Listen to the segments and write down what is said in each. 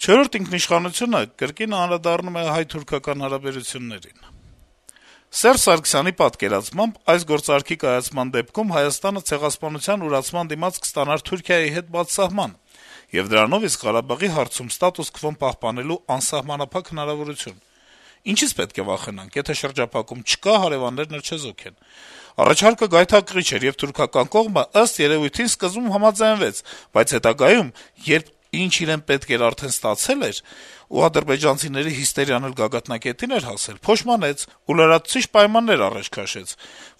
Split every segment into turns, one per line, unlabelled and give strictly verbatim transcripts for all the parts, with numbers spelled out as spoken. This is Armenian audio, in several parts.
Չորրորդ ինքնիշխանությունը կրկին անդրադառնում է հայ-թուրքական հարաբերություններին։ Սերժ Սարգսյանի պատկերացմամբ այս գործարքի կայացման դեպքում Հայաստանը ցեղասպանության ուրացման դիմաց կստանար Թուրքիայի հետ բացսահման, եւ դրանով իսկ Ղարաբաղի հարցում ստատուս քվոն պահպանելու անսահմանափակ հնարավորություն։ Ինչից պետք է վախենանք, եթե շրջափակում չկա, հարեւաններն էլ չեզոք են։ Առաջարկը գայթակղիչ էր, եւ թուրքական կողմը ըստ երեւույթին սկզբում համաձայնվեց, բայց հետագայում, երբ ինչ իրեն պետք էր արդեն ստացել էր, ու ադրբեջանցիների հիստերիան էլ գագաթնակետին էր հասել, փոշմանեց ու լրացուցիչ պայմաններ առաջ քաշեց,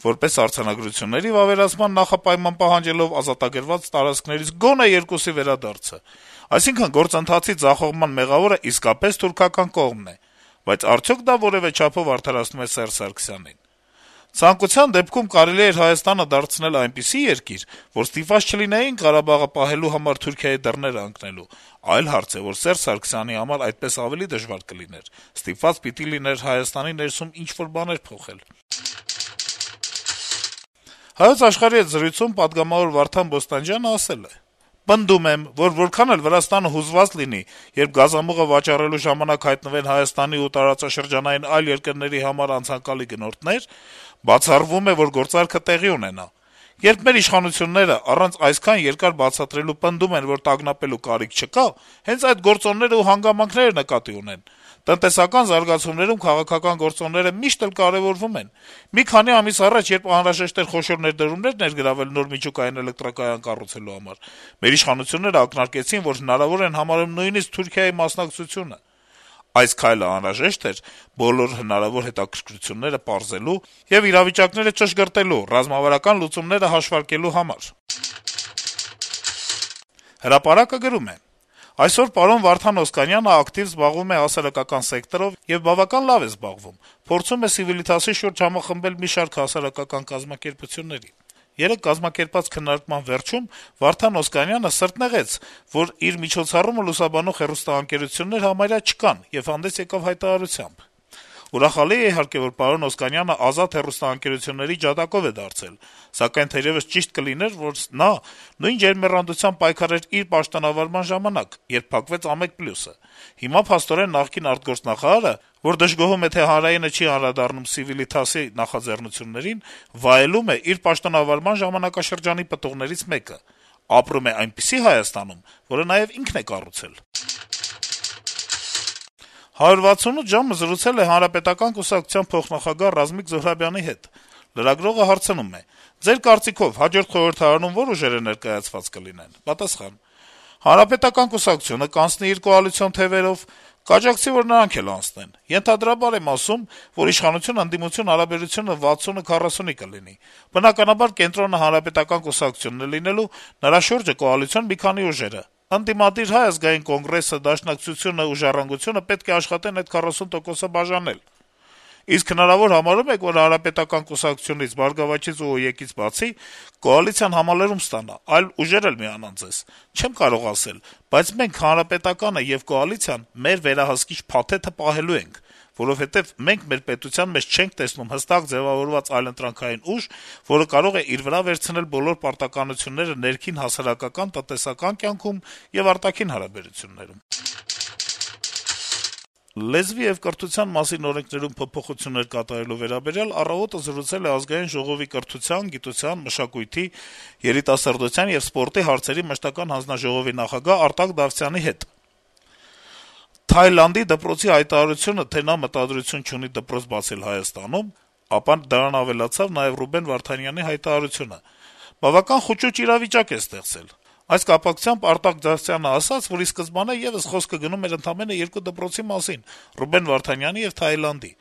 որպես արձանագրությունների վավերացման նախապայման պահանջելով ազատագրված տարածքներից գոնե երկուսի վերադարձը։ Այսինքն գործընթացի ձախողման մեղավորը իսկապես թուրքական կողմն է, բայց արդյոք դա որեւէ չափով արդարացնում է Սերժ Սարգսյանին։ Ցանկության դեպքում կարելի էր Հայաստանը դարձնել այնպիսի երկիր, որ ստիպված չլինեին Ղարաբաղը պահելու համար Թուրքիայի դռները ընկնելու։ Այլ հարց է, որ Սերժ Սարգսյանի համար այդպես ավելի դժվար կլիներ։ Ստիպված պիտի լիներ Հայաստանի ներսում ինչ-որ բաներ փոխել։ Հայոց աշխարհի հետ զրույցում պատգամավոր Վարդան Բոստանջյանը ասել է. «Պնդում եմ, որ որքան էլ Վրաստանը հուզված լինի, երբ գազամուղը վաճառելու ժամանակ հայտնվեն Հայաստանի ու տարածաշրջանային այլ երկրների համար անցանկալի գնորդներ, բացառվում է, որ գործարքը տեղի ունենա։ Երբ մեր իշխանությունները առանց այսքան երկար բացատրելու պնդում են, որ տագնապելու կարիք չկա, հենց այդ գործոնները ու հանգամանքները նկատի ունեն։ Տնտեսական զարգացումներում քաղաքական գործոնները միշտ էլ կարեւորվում են։ Մի քանի ամիս առաջ, երբ անհրաժեշտ էր խոշոր ներդրումներ ներգրավել նոր միջուկային էլեկտրակայան կառուցելու համար, մեր իշխանությունները ակնարկեցին, որ հնարավոր են համարում նույնիսկ Թուրքիայի մասնակցությունը։ Այս քայլը անհրաժեշտ էր բոլոր հնարավոր հետաքրքրությունները պարզելու եւ իրավիճակները ճշգրտելու, ռազմավարական լուծումները հաշվարկելու համար»։ Հրապարակը գրում է. - «Այսօր պարոն Վարդան Օսկանյանը ակտիվ զբաղվում է հասարակական սեկտորով եւ բավական լավ է զբաղվում, փորձում է Civiltas-ի շուրջ համախմբել մի շարք հասարակական կազմակերպությունների։ Երեկ կազմակերպած քննարկման վերջում Վարդան Օսկանյանը սրտնեղեց, որ իր միջոցառումը լուսաբանող հեռուստաընկերություններ համարյա չկան եւ հանդես եկավ հայտարարությամբ։ Ուրախալի է, իհարկե, որ պարոն Օսկանյանը ազատ հեռուստաընկերությունների ջատագով է դարձել, սակայն թերեւս ճիշտ կլիներ, որ նա նույն ջերմեռանդությամբ պայքարեր իր պաշտոնավարման ժամանակ, երբ փակվեց Ամեկ-Պլյուսը։ Հիմա փաստորեն նախկին արտգործնախարարը, որ դժգոհում է, թե հանրայինը չի անդրադառնում Civiltas-ի նախաձեռնություններին, վայելում է իր պաշտոնավարման ժամանակաշրջանի պտուղներից մեկը, ապրում է այնպիսի Հայաստանում, որը նաեւ ինքն է կառուցել»։ «հարյուր վաթսունութ ժամ»-ը զրուցել է Հանրապետական կուսակցության փոխնախագահ Ռազմիկ Զոհրաբյանի հետ։ Լրագրողը հարցնում է. - «Ձեր կարծիքով հաջորդ խորհրդարանում ո՞ր ուժերը ներկայացված կլինեն»։ Պատասխան. - «Հանրապետական կուսակցությունը կանցնի իր կոալիցիոն թեւերով, կաջակցի, որ նրանք էլ անցնեն։ Ենթադրաբար եմ ասում, որ իշխանություն-ընդդիմություն հարաբերությունը վաթսունը քառասունի կլինի։ Բնականաբար կենտրոնը Հանրապետական կուսակցությունն է լինելու, նրա շուրջը կոալիցիոն մի քանի ուժերը։ Ընդդիմադիր Հայ ազգային կոնգրեսը, Դաշնակցությունը ու Ժառանգությունը պետք է աշխատեն այդ քառասուն տոկոսը բաժանել։ Իսկ հնարավոր համարում եք, որ Հանրապետական կուսակցությունից, Բարգավաճից ու ՕԵԿ-ից բացի կոալիցիան համալրում ստանա, այլ ուժեր էլ միանան ձեզ։ Չեմ կարող ասել, բայց մենք Հանրապետականը եւ կոալիցիան մեր վերահսկիչ փաթեթը պահելու ենք, որովհետեւ մենք մեր պետության մեջ չենք տեսնում հստակ ձեւավորված այլընտրանքային ուժ, որը կարող է իր վրա վերցնել բոլոր պարտականությունները ներքին հասարակական, տնտեսական կյանքում եւ արտաքին հարաբերություններում»։ Լեզվի եւ կրթության մասին օրենքներում փոփոխություններ կատարելու վերաբերյալ «Առավոտը» զրուցել է Ազգային ժողովի կրթության, գիտության, մշակույթի, երիտասարդության եւ սպորտի հարցերի մշտական հանձնաժողովի նախագահ Արտակ Դավթյանի հետ։ Թայլանդի դպրոցի հայտարարությունը, թե նա մտադրություն չունի դպրոց բացել Հայաստանում, ապա դրան ավելացավ նաեւ Ռուբեն Վարդանյանի հայտարարությունը, բավական խուճուճ իրավիճակ է ստեղծել։ Այս կապակցությամբ Արտակ Դավթյանը ասաց, որ ի սկզբանե եւս խոսքը գնում էր ընդամենը երկու դպրոցի մասին՝ Ռուբեն Վարդանյանի եւ Թայլանդի։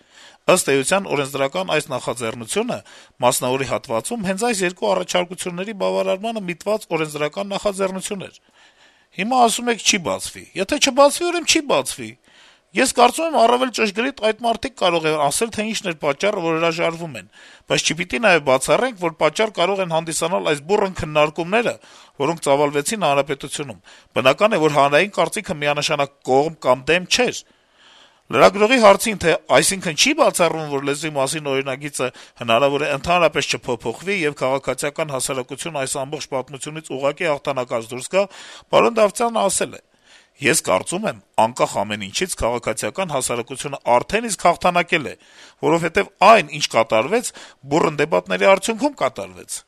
Ըստ էության, օրենսդրական այս նախաձեռնությունը մասնավորի հատվածում հենց այս երկու առաջարկությունների բավարարմանը միտված օրենսդրական նախաձեռնություն էր։ Հիմա ասում եք՝ չի բացվի։ Եթե չբացվի, ուրեմն չի բացվի։ Ես կարծում եմ, առավել ճշգրիտ այդ մարդիկ կարող են ասել, թե ինչն էր պատճառը, որ հրաժարվում են, բայց չպիտի նաեւ բացառենք, որ պատճառ կարող են հանդիսանալ այս բուռն քննարկումները, որոնք ծավալվեցին հանրապետությունում։ Բնական է, որ հանրային կարծիքը միանշանակ կողմ կամ դեմ չէր։ Լրագրողի հարցին, թե այսինքն չի բացառվում, որ լեզվի մասին օրինագիծը հնարավոր է ընդհանրապես չփոփոխվի եւ քաղաքացիական հասարակություն այս ամբողջ պատմությունից ուղղակի հաղթանակած դուրս գա, պարոն Դավթյանը ասել է. Ես կարծում եմ, անկախ ամեն ինչից քաղաքացիական հասարակությունը արդեն իսկ հաղթանակել է, որովհետեւ այն, ինչ կատարվեց, բուռն դեպատների արդյունքում կատարվեց: